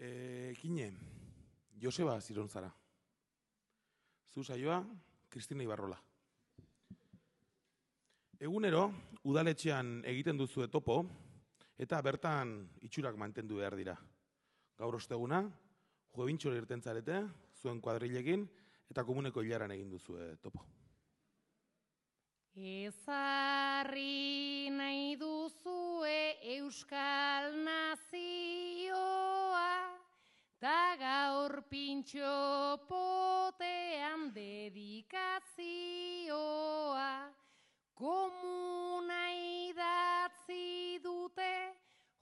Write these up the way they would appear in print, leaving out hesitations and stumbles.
Kine, Joseba Zironzara. Zu saioa, Kristina Ibarrola. Egunero, udaletxean egiten duzue topo, eta bertan itxurak mantendu behar dira. Gaur osteguna, juebintxore irten zarete, zuen kuadrilekin, eta komuneko hilaran egin duzue topo. Ezarri nahi duzue Euskal Nazioa, ta gaur pintxo potean dedikazioa. Komuna idatzi dute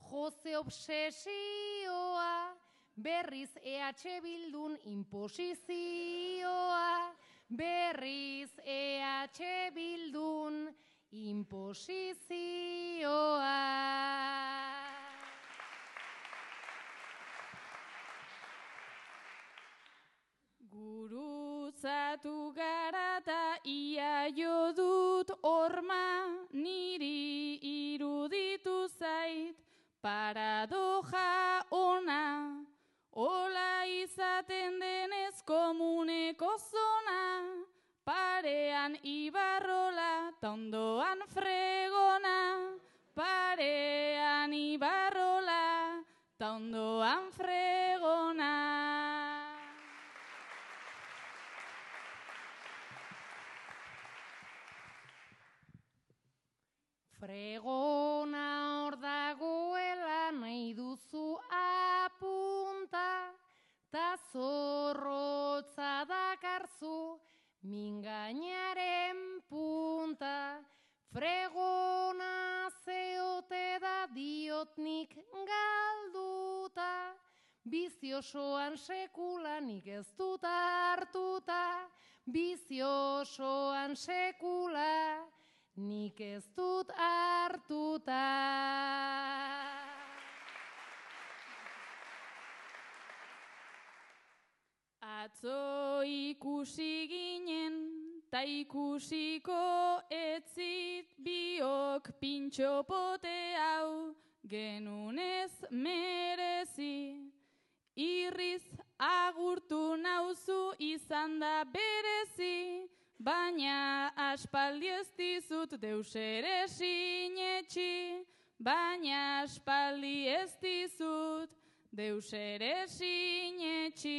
Jose Obsesioa, berriz EH Bildun imposizioa. Berriz EH Bildun imposizioa. Gurutzatu gara ta ia jo dut horma, niri iruditu zait paradoja ona. Ola izaten denez komuneko zona, parean Ibarrola ta ondoan Fregona. Parean Ibarrola ta ondoan Fregona. Fregona hor dagoela nahi duzu apunta, ta zorrotza dakarzu mingainaren punta. Fregona zeote da diotnik galduta, biziosoan sekulanik ez dut hartuta, biziosoan sekula nik ez dut hartuta. Atzo ikusi ginen, ta ikusiko etzit biok pintxo pote hau genunez merezi. Irriz agurtu nauzu izan da berezi, baina aspaldi ez dizut deus ere sinetxi. Baina aspaldi ez dizut deus ere sinetxi.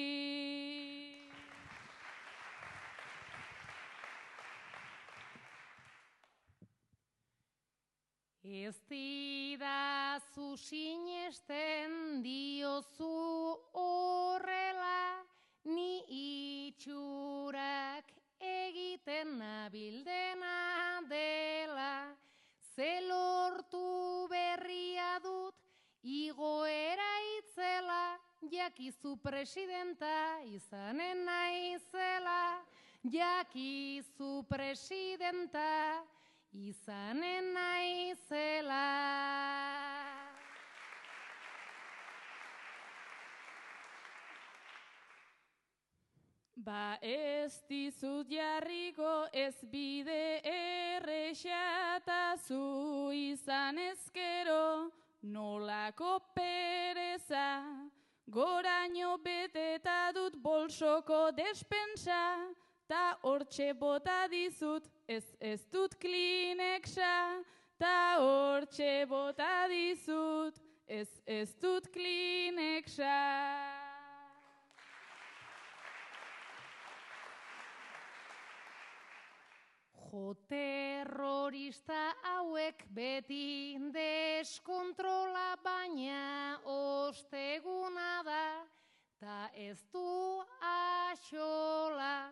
Ez didazu sinesten diozu horrela, ni itxurak egiten nabildena dela. Ze lortu berria dut igoera itzela, jakizu presidenta izanen naizela. Jakizu presidenta izanen naizela. Ba ez dizut jarriko ez bide errexata, zu izan ezkero nolako pereza. Goraino beteta dut bolsoko despensa, ta hortxe bota dizut ez dut Kleenexa. Ta hortxe bota dizut ez dut Kleenexa. Jo terrorista hauek beti deskontrola, baina osteguna da, ta ez du axola.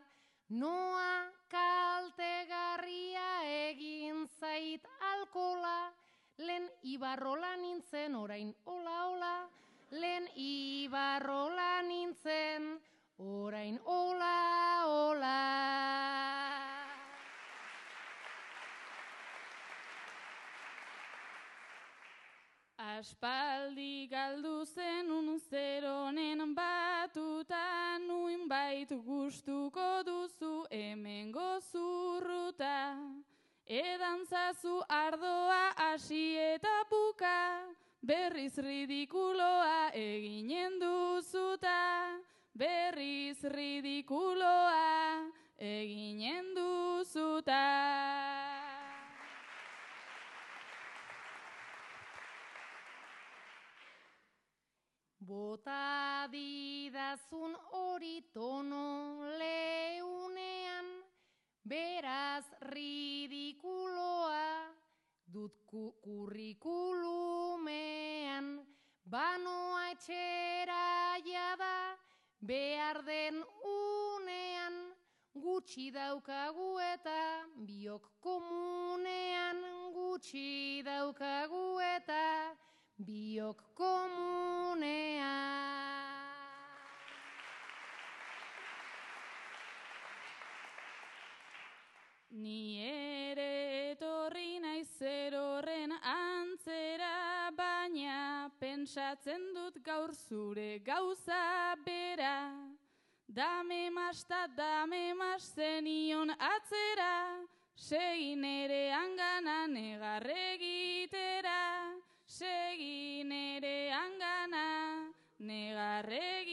Noa kaltegarria egin zait alkola, lehen Ibarrola nintzen orain ola. Lehen Ibarrola nintzen orain ola. Aspaldi galdu zenun zeronen batuta, nuinbait gustuko duzu hemengo zurruta. Edantzazu ardoa hasi eta buka, berriz ridikuloa eginen duzuta, berriz ridikuloa eginen duzuta. Bota didazun hori tono leunean, beraz ridikuloa dut kurrikulumean. Banoa etxera jada behar den unean, gutxi daukagu eta biok komunean, gutxi daukagu eta biok komunean. Ni ere etorri naiz zer horren antzera, baina pentsatzen dut gaur zure gauza bera. Dame mas zenion atzera, segin ere angana negarregitera, segin ere angana negarregitera.